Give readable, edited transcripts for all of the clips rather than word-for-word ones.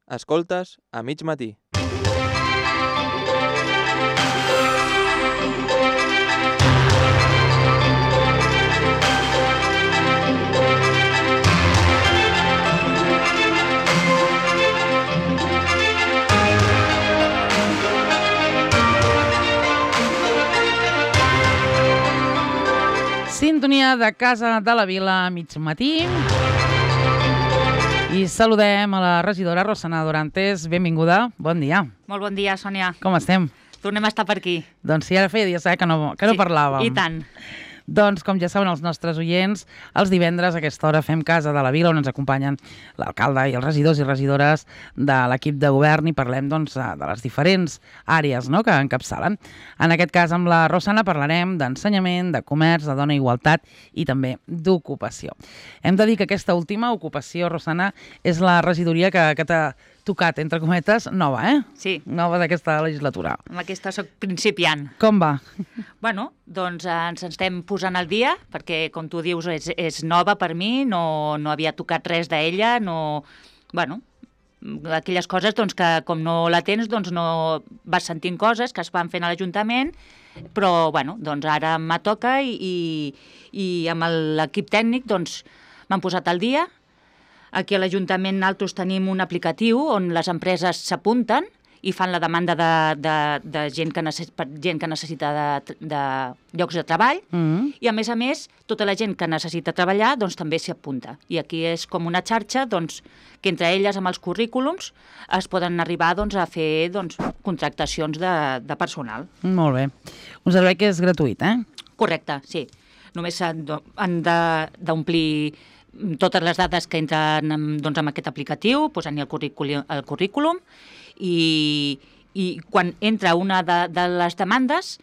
Escoltes a mig matí. Sintonia de Casa de la Vila a mig matí. I saludem a la regidora Rosana Dorantes. Benvinguda, bon dia. Molt bon dia, Sònia. Com estem? Tornem a estar per aquí. Doncs sí, ara feia dies que no parlàvem. I tant. Doncs, com ja saben els nostres oients, els divendres a aquesta hora fem Casa de la Vila, on ens acompanyen l'alcalde i els regidors i regidores de l'equip de govern i parlem doncs, de les diferents àrees, no?, que encapçalen. En aquest cas, amb la Rosana parlarem d'ensenyament, de comerç, de dona i igualtat i també d'ocupació. Hem de dir que aquesta última ocupació, Rosana, és la regidoria que t'ha tocat, entre cometes, nova, Sí. Nova d'aquesta legislatura. Amb aquesta soc principiant. Com va? Bueno, doncs ens estem posant al dia, perquè, com tu dius, és nova per mi, no havia tocat res d'ella, no... Bueno, aquelles coses doncs, que com no la tens, doncs no vas sentint coses que es van fent a l'Ajuntament, però bueno, doncs ara me toca i amb l'equip tècnic doncs, m'han posat al dia. Aquí a l'Ajuntament nosaltres tenim un aplicatiu on les empreses s'apunten i fan la demanda de gent que necessita de llocs de treball i, a més, tota la gent que necessita treballar doncs, també s'hi apunta. I aquí és com una xarxa doncs, que entre elles, amb els currículums, es poden arribar doncs, a fer doncs, contractacions de personal. Molt bé. Un servei que és gratuït, Correcte, sí. Només han d'omplir totes les dades que entren doncs, amb aquest aplicatiu, posant-hi el currículum i quan entra una de les demandes,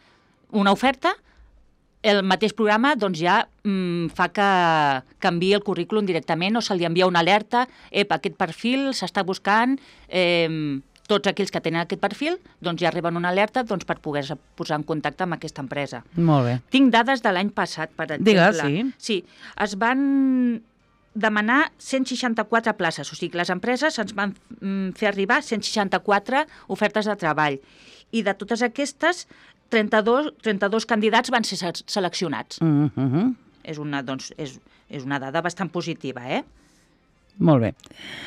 una oferta, el mateix programa doncs, ja fa que canviï el currículum directament o se li envia una alerta, aquest perfil s'està buscant, tots aquells que tenen aquest perfil doncs, ja reben una alerta doncs, per poder-se posar en contacte amb aquesta empresa. Molt bé. Tinc dades de l'any passat, per exemple. Digues, sí. Sí, es van demanar 164 places, o sigui que les empreses ens van fer arribar 164 ofertes de treball i de totes aquestes 32 candidats van ser seleccionats. És una dada bastant positiva, Molt bé.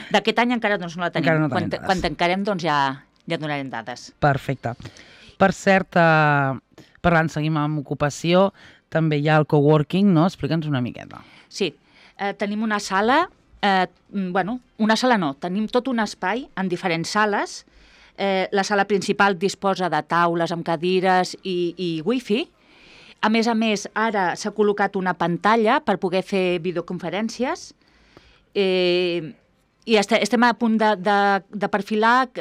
D'aquest any encara doncs, no la tenim. Encara no tenim dades. Quan tancarem doncs, ja donarem dades. Perfecte. Per cert, parlant, seguim amb ocupació, també hi ha el coworking, no? Explica'ns una miqueta. Sí. Tenim una sala, una sala no, tenim tot un espai en diferents sales. La sala principal disposa de taules amb cadires i wifi. A més, ara s'ha col·locat una pantalla per poder fer videoconferències i estem a punt de perfilar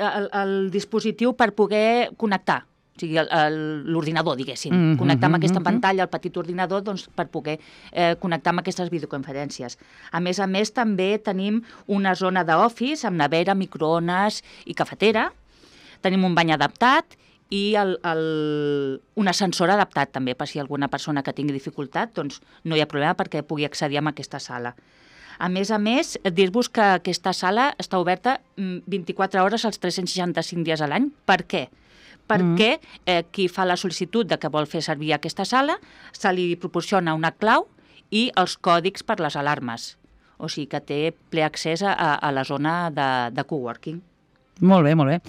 el dispositiu per poder connectar. O sigui, l'ordinador, diguéssim. Connectar amb aquesta pantalla, el petit ordinador, doncs, per poder connectar amb aquestes videoconferències. A més, també tenim una zona d'office amb nevera, microones i cafetera. Tenim un bany adaptat i un ascensor adaptat, també, per si alguna persona que tingui dificultat, doncs no hi ha problema perquè pugui accedir a aquesta sala. A més, dir-vos que aquesta sala està oberta 24 hores als 365 dies a l'any. Per què? Perquè qui fa la sol·licitud de que vol fer servir aquesta sala se li proporciona una clau i els còdigs per les alarmes. O sigui que té ple accés a la zona de coworking. Molt bé, molt bé.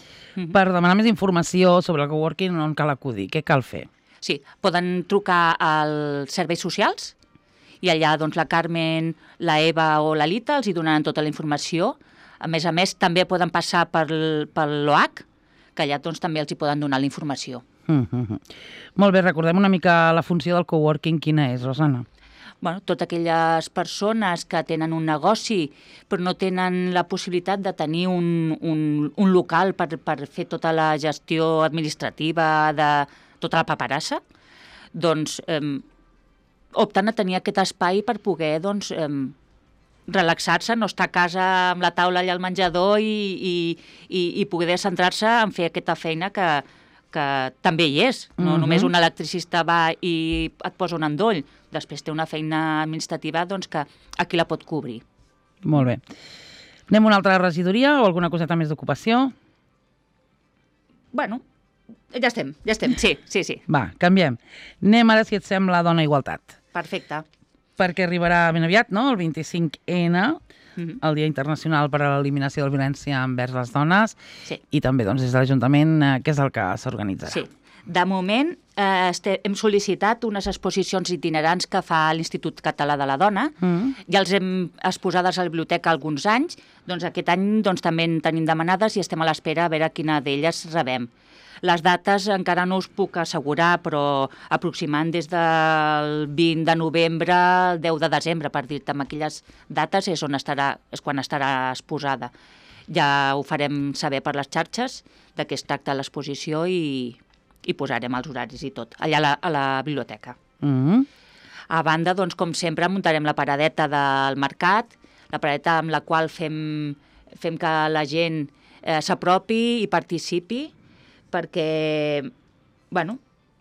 Per demanar més informació sobre el coworking, on cal acudir? Què cal fer? Sí, poden trucar als serveis socials i allà doncs, la Carmen, la Eva o la Lita els hi donaran tota la informació. A més, també poden passar per l'OH, que allà doncs, també els hi poden donar la informació. Molt bé, recordem una mica la funció del coworking. Quina és, Rosana? Bueno, totes aquelles persones que tenen un negoci però no tenen la possibilitat de tenir un local per fer tota la gestió administrativa de tota la paperassa, doncs opten a tenir aquest espai per poder doncs, relaxar-se, no estar a casa amb la taula allà al menjador i poder centrar-se en fer aquesta feina que també hi és. No només un electricista va i et posa un endoll. Després té una feina administrativa doncs, que aquí la pot cobrir. Molt bé. Anem a una altra regidoria o alguna coseta més d'ocupació? Bueno, ja estem, sí. Va, canviem. Anem ara, si et sembla, a Dona Igualtat. Perfecte. Perquè arribarà ben aviat, no?, el 25N, el Dia Internacional per a l'Eliminació de la Violència envers les Dones, Sí. i també doncs, des de l'Ajuntament, què és el que s'organitzarà? Sí. De moment hem sol·licitat unes exposicions itinerants que fa l'Institut Català de la Dona. Ja els hem exposades a la biblioteca alguns anys. Doncs aquest any també en tenim demanades i estem a l'espera a veure quina d'elles rebem. Les dates encara no us puc assegurar, però aproximant des del 20 de novembre al 10 de desembre, per dir-te, amb aquelles dates és quan estarà exposada. Ja ho farem saber per les xarxes de què es tracta l'exposició i posarem els horaris i tot, allà a la biblioteca. A banda, doncs, com sempre, muntarem la paradeta del mercat, la paradeta amb la qual fem que la gent s'apropi i participi, perquè, bueno,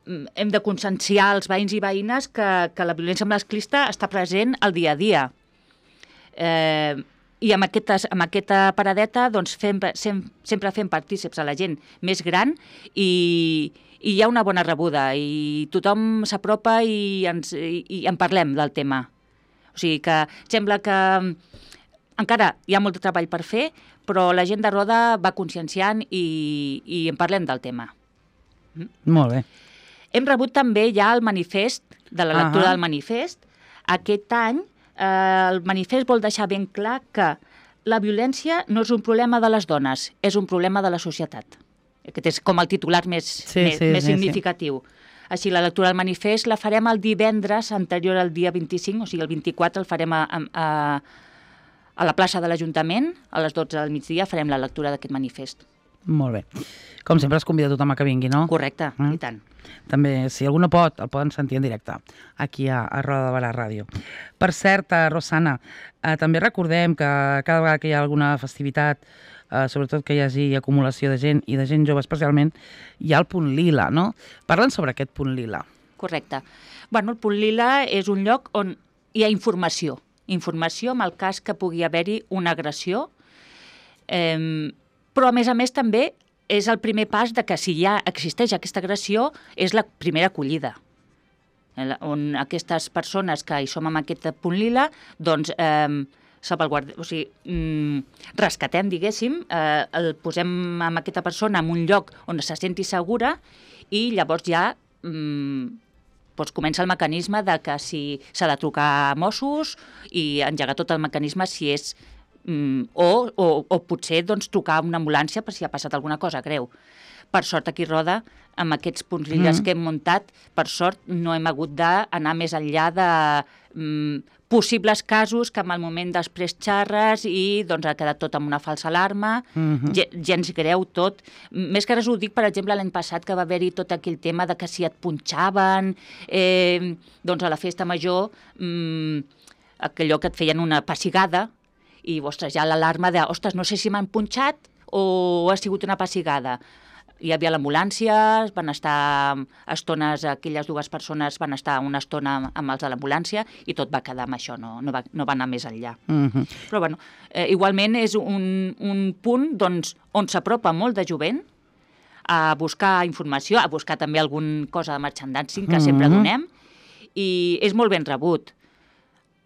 hem de conscienciar els veïns i veïnes que la violència masclista està present al dia a dia. I amb aquesta paradeta doncs, sempre fem partícips a la gent més gran i hi ha una bona rebuda i tothom s'apropa i en parlem del tema. O sigui que sembla que encara hi ha molt de treball per fer, però la gent de Roda va conscienciant i en parlem del tema. Molt bé. Hem rebut també ja el manifest, de la lectura del manifest. Aquest any el manifest vol deixar ben clar que la violència no és un problema de les dones, és un problema de la societat. Aquest és com el titular més significatiu. Així, la lectura del manifest la farem el divendres anterior al dia 25, o sigui, el 24 el farem a la plaça de l'Ajuntament, a les 12 del migdia farem la lectura d'aquest manifest. Molt bé. Com sempre es convida tothom a que vingui, no? Correcte, i tant. També, si algú no pot, el poden sentir en directe, aquí a Roda de Barà Ràdio. Per cert, Rosana, també recordem que cada vegada que hi ha alguna festivitat, sobretot que hi hagi acumulació de gent, i de gent jove especialment, hi ha el punt lila, no? Parla'ns sobre aquest punt lila. Correcte. Bueno, el punt lila és un lloc on hi ha informació en el cas que pugui haver-hi una agressió, però a més també és el primer pas de que si ja existeix aquesta agressió és la primera acollida, on aquestes persones que hi som amb aquest punt lila, doncs rescatem, diguéssim, el posem amb aquesta persona en un lloc on se senti segura i llavors ja doncs comença el mecanisme de que si s'ha de trucar a Mossos i engegar tot el mecanisme si és o potser doncs, trucar a una ambulància per si ha passat alguna cosa greu. Per sort aquí a Roda, amb aquests punts lilles que hem muntat, per sort no hem hagut d'anar més enllà de possibles casos que en el moment després xarres i doncs ha quedat tot amb una falsa alarma, gens greu tot. Més que res ho dic, per exemple, l'any passat que va haver-hi tot aquell tema de que si et punxaven, doncs a la festa major, allò que et feien una pessigada, i, ostres, ja l'alarma de, ostres, no sé si m'han punxat o ha sigut una pessigada. Hi havia l'ambulància, van estar estones, aquelles dues persones van estar una estona amb els de l'ambulància i tot va quedar amb això, no va anar més enllà. Però, bueno, igualment és un punt doncs, on s'apropa molt de jovent a buscar informació, a buscar també alguna cosa de merchandising que sempre donem, i és molt ben rebut.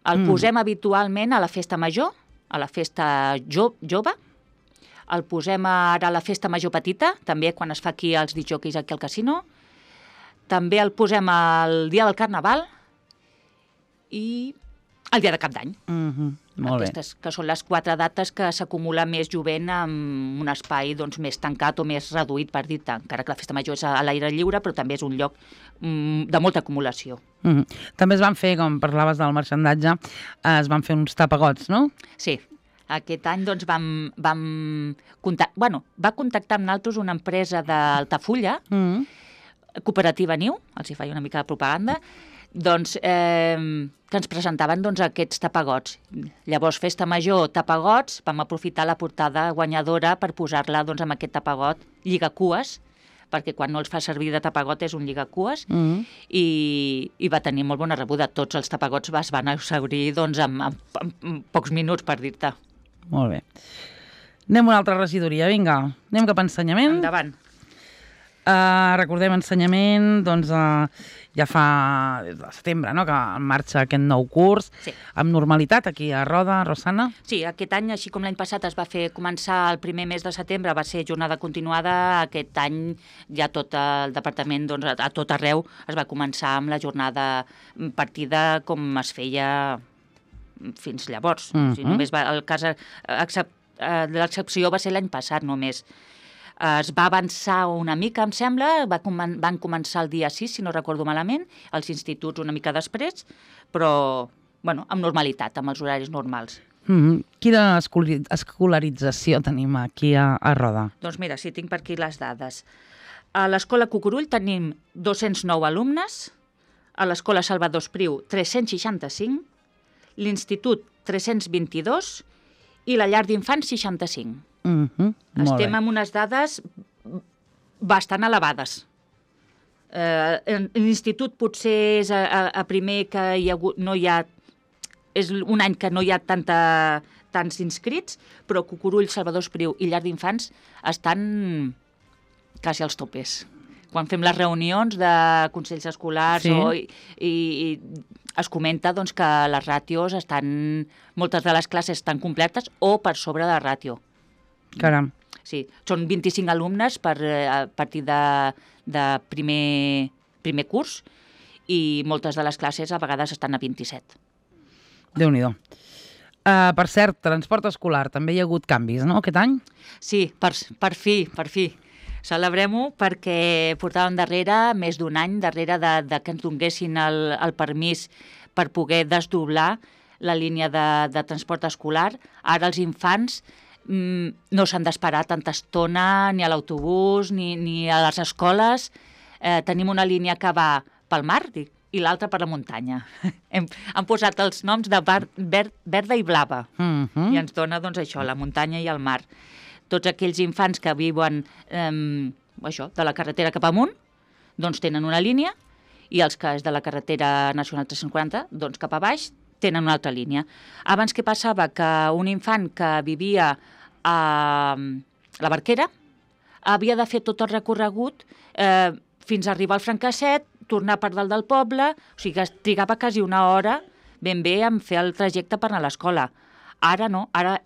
El posem habitualment a la festa major, a la festa jove, el posem ara a la festa major petita, també quan es fa aquí els discjòqueis aquí al casino, també el posem el dia del Carnaval i el dia de Cap d'Any. Molt bé. Aquestes que són les 4 dates que s'acumula més jovent en un espai doncs, més tancat o més reduït, per dir-te, encara que la festa major és a l'aire lliure, però també és un lloc de molta acumulació. També es van fer, com parlaves del marxandatge, es van fer uns tapagots, no? Sí. Aquest any doncs, va contactar amb nosaltres una empresa d'Altafulla, Cooperativa Niu, els hi faig una mica de propaganda, doncs, que ens presentaven doncs, aquests tapagots. Llavors, festa major, tapagots, vam aprofitar la portada guanyadora per posar-la doncs, amb aquest tapagot lligacues, perquè quan no els fa servir de tapagot és un lligacues, i va tenir molt bona rebuda. Tots els tapagots es van exhaurir doncs, en pocs minuts, per dir-te. Molt bé. Anem a una altra regidoria, vinga. Anem cap a ensenyament. Endavant. Recordem ensenyament, doncs ja fa des de setembre, no?, que en marxa aquest nou curs, Sí. amb normalitat aquí a Roda, Rosana. Sí, aquest any, així com l'any passat es va fer començar el primer mes de setembre, va ser jornada continuada, aquest any ja tot el departament, doncs, a tot arreu, es va començar amb la jornada partida com es feia fins llavors. O sigui, només el cas l'excepció va ser l'any passat només. Es va avançar una mica, em sembla, van començar el dia 6, si no recordo malament, els instituts una mica després, però bueno, amb normalitat, amb els horaris normals. Quina escolarització tenim aquí a Roda? Doncs mira, sí, tinc per aquí les dades. A l'Escola Cucurull tenim 209 alumnes, a l'Escola Salvador Espriu 365, l'Institut 322 i la Llar d'Infants 65. Estem amb unes dades bastant elevades. L'Institut potser és a primer que no hi ha... És un any que no hi ha tants inscrits, però Cucurull, Salvador Espriu i Llar d'Infants estan quasi als topes. Quan fem les reunions de consells escolars i es comenta doncs, que les ràtios moltes de les classes estan completes o per sobre de la ràtio. Caram. Sí, són 25 alumnes a partir de primer curs i moltes de les classes a vegades estan a 27. Déu-n'hi-do. Per cert, transport escolar, també hi ha hagut canvis, no, aquest any? Sí, per fi. Celebrem-ho perquè portàvem darrere més d'un any darrere de que ens donguessin el permís per poder desdoblar la línia de transport escolar. Ara els infants no s'han d'esperar tanta estona ni a l'autobús ni a les escoles. Tenim una línia que va pel mar i l'altra per la muntanya. Hem posat els noms de verda i blava i ens dona doncs, això, la muntanya i el mar. Tots aquells infants que viuen de la carretera cap amunt doncs tenen una línia i els que és de la carretera nacional 340 doncs cap a baix tenen una altra línia. Abans què passava? Que un infant que vivia a la Barquera havia de fer tot el recorregut fins a arribar al Francasset, tornar per dalt del poble, o sigui que es trigava quasi una hora ben bé en fer el trajecte per anar a l'escola. Ara no, ara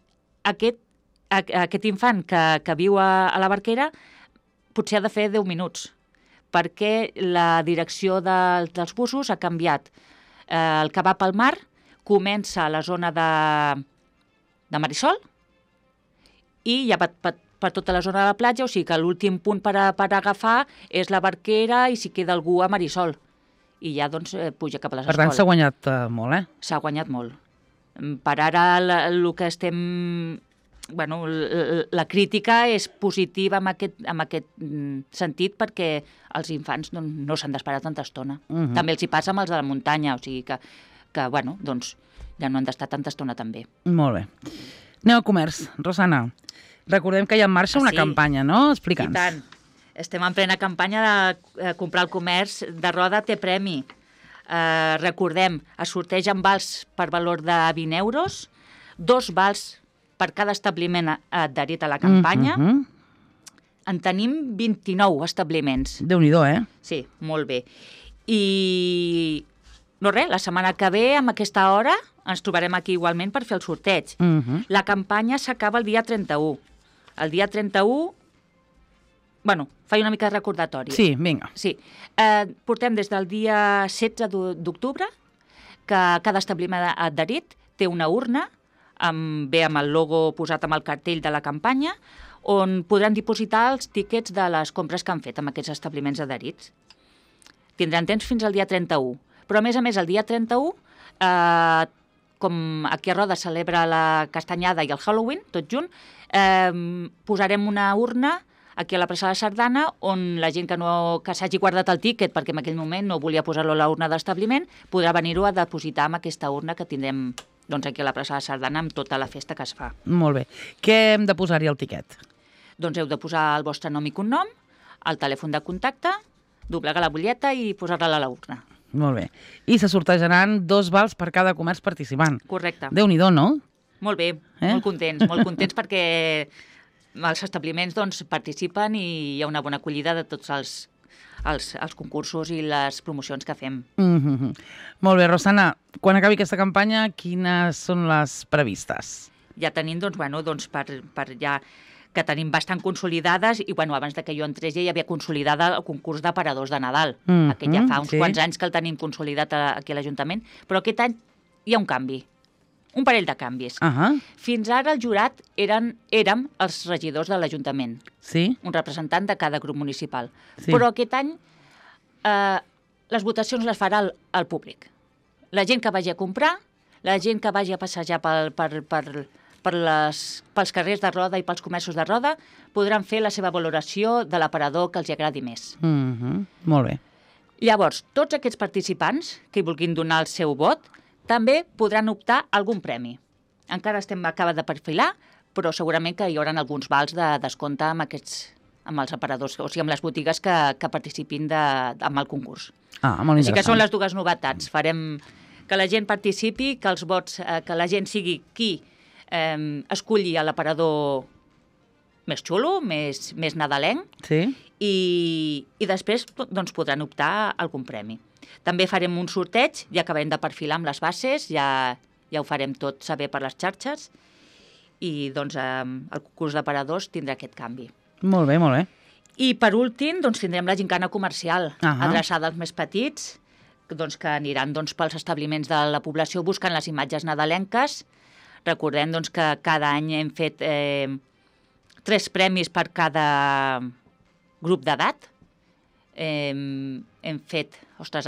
aquest infant que viu a la Barquera potser ha de fer 10 minuts, perquè la direcció dels busos ha canviat. El que va pel mar comença a la zona de Marisol i ja va per tota la zona de la platja, o sigui que l'últim punt per agafar és la Barquera i si queda algú a Marisol. I ja doncs puja cap a les escoles. Per tant, s'ha guanyat molt, S'ha guanyat molt. Per ara el que estem... Bueno, la crítica és positiva en aquest sentit perquè els infants no s'han d'esperar tanta estona. També els hi passa amb els de la muntanya, o sigui que bueno, doncs ja no han d'estar tanta estona també. Molt bé. Anem al comerç. Rosana, recordem que hi ha en marxa una campanya, no? Explica'ns. I tant. Estem en plena campanya de comprar el comerç de Roda té premi. Recordem, es sortegen vals per valor de 20 euros, 2 vals per cada establiment adherit a la campanya. En tenim 29 establiments. Déu-n'hi-do, Sí, molt bé. I no res, la setmana que ve, amb aquesta hora, ens trobarem aquí igualment per fer el sorteig. La campanya s'acaba el dia 31. El dia 31... Bueno, faig una mica de recordatori. Sí, vinga. Sí. Portem des del dia 16 d'octubre que cada establiment adherit té una urna amb el logo posat amb el cartell de la campanya, on podran dipositar els tíquets de les compres que han fet amb aquests establiments adherits. Tindran temps fins al dia 31. Però, a més, el dia 31, com aquí a Roda celebra la Castanyada i el Halloween, tot junt, posarem una urna aquí a la plaça de la Sardana, on la gent que s'hagi guardat el tíquet, perquè en aquell moment no volia posar-lo a la urna d'establiment, podrà venir-ho a depositar amb aquesta urna que tindrem aquí a la plaça de la Sardana amb tota la festa que es fa. Molt bé. Què hem de posar-hi al tiquet? Doncs heu de posar el vostre nom i cognom, el telèfon de contacte, doblegar la butlleta i posar-la a la urna. Molt bé. I se sortejaran 2 vals per cada comerç participant. Correcte. Déu-n'hi-do, no? Molt bé, molt contents perquè els establiments doncs, participen i hi ha una bona acollida de tots els concursos i les promocions que fem. Molt bé, Rosana, quan acabi aquesta campanya, quines són les previstes? Ja tenim, per ja que tenim bastant consolidades i abans de que jo entrés ja hi havia consolidada el concurs d'aparadors de Nadal. Aquest ja fa uns quants anys que el tenim consolidat aquí a l'Ajuntament, però aquest any hi ha un canvi, un parell de canvis. Fins ara el jurat érem els regidors de l'Ajuntament, un representant de cada grup municipal. Però aquest any les votacions les farà el públic. La gent que vagi a comprar, la gent que vagi a passejar pels carrers de Roda i pels comerços de Roda podran fer la seva valoració de l'aparador que els agradi més. Molt bé. Llavors, tots aquests participants que hi vulguin donar el seu vot també podran optar a algun premi. Encara acaba de perfilar, però segurament que hi haurà alguns vals de descompte amb els aparadors, o sigui, amb les botigues que participin amb el concurs. Molt Així que són les dues novetats. Farem que la gent participi, que els vots, que la gent sigui qui escolli l'aparador més xulo, més nadalenc, i després podran optar a algun premi. També farem un sorteig, ja acabarem de perfilar amb les bases, ja ho farem tot saber per les xarxes, i el concurs d'aparadors tindrà aquest canvi. Molt bé, molt bé. I per últim tindrem la gincana comercial, adreçada als més petits, que aniran pels establiments de la població buscant les imatges nadalenques. Recordem que cada any hem fet 3 premis per cada grup d'edat. Hem fet,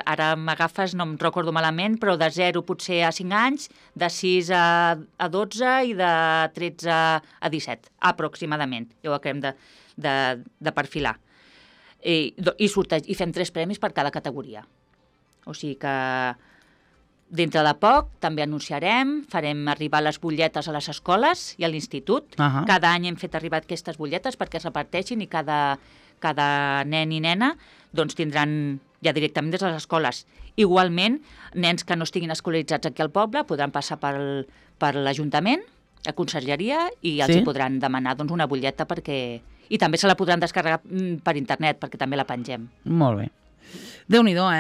ara m'agafes, no em recordo malament, però de 0 potser a 5 anys, de 6 a 12 i de 13 a 17, aproximadament. Ja ho acabem de perfilar. I fem 3 premis per cada categoria. O sigui que dintre de poc també anunciarem, farem arribar les butlletes a les escoles i a l'institut. Cada any hem fet arribar aquestes butlletes perquè es reparteixin i cada nen i nena tindran ja directament des de les escoles. Igualment, nens que no estiguin escolaritzats aquí al poble podran passar per l'Ajuntament, a consergeria, i els hi podran demanar una butlleta i també se la podran descarregar per internet perquè també la pengem. Molt bé. Déu-n'hi-do,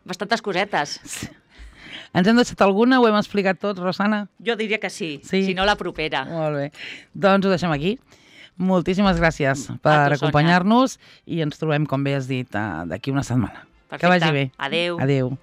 Bastantes cosetes. Ens hem deixat alguna? Ho hem explicat tot, Rosana? Jo diria que sí, si no la propera. Molt bé. Doncs ho deixem aquí. Moltíssimes gràcies per acompanyar-nos i ens trobem, com bé has dit, d'aquí una setmana. Perfecte. Que vagi bé. Adéu. Adéu.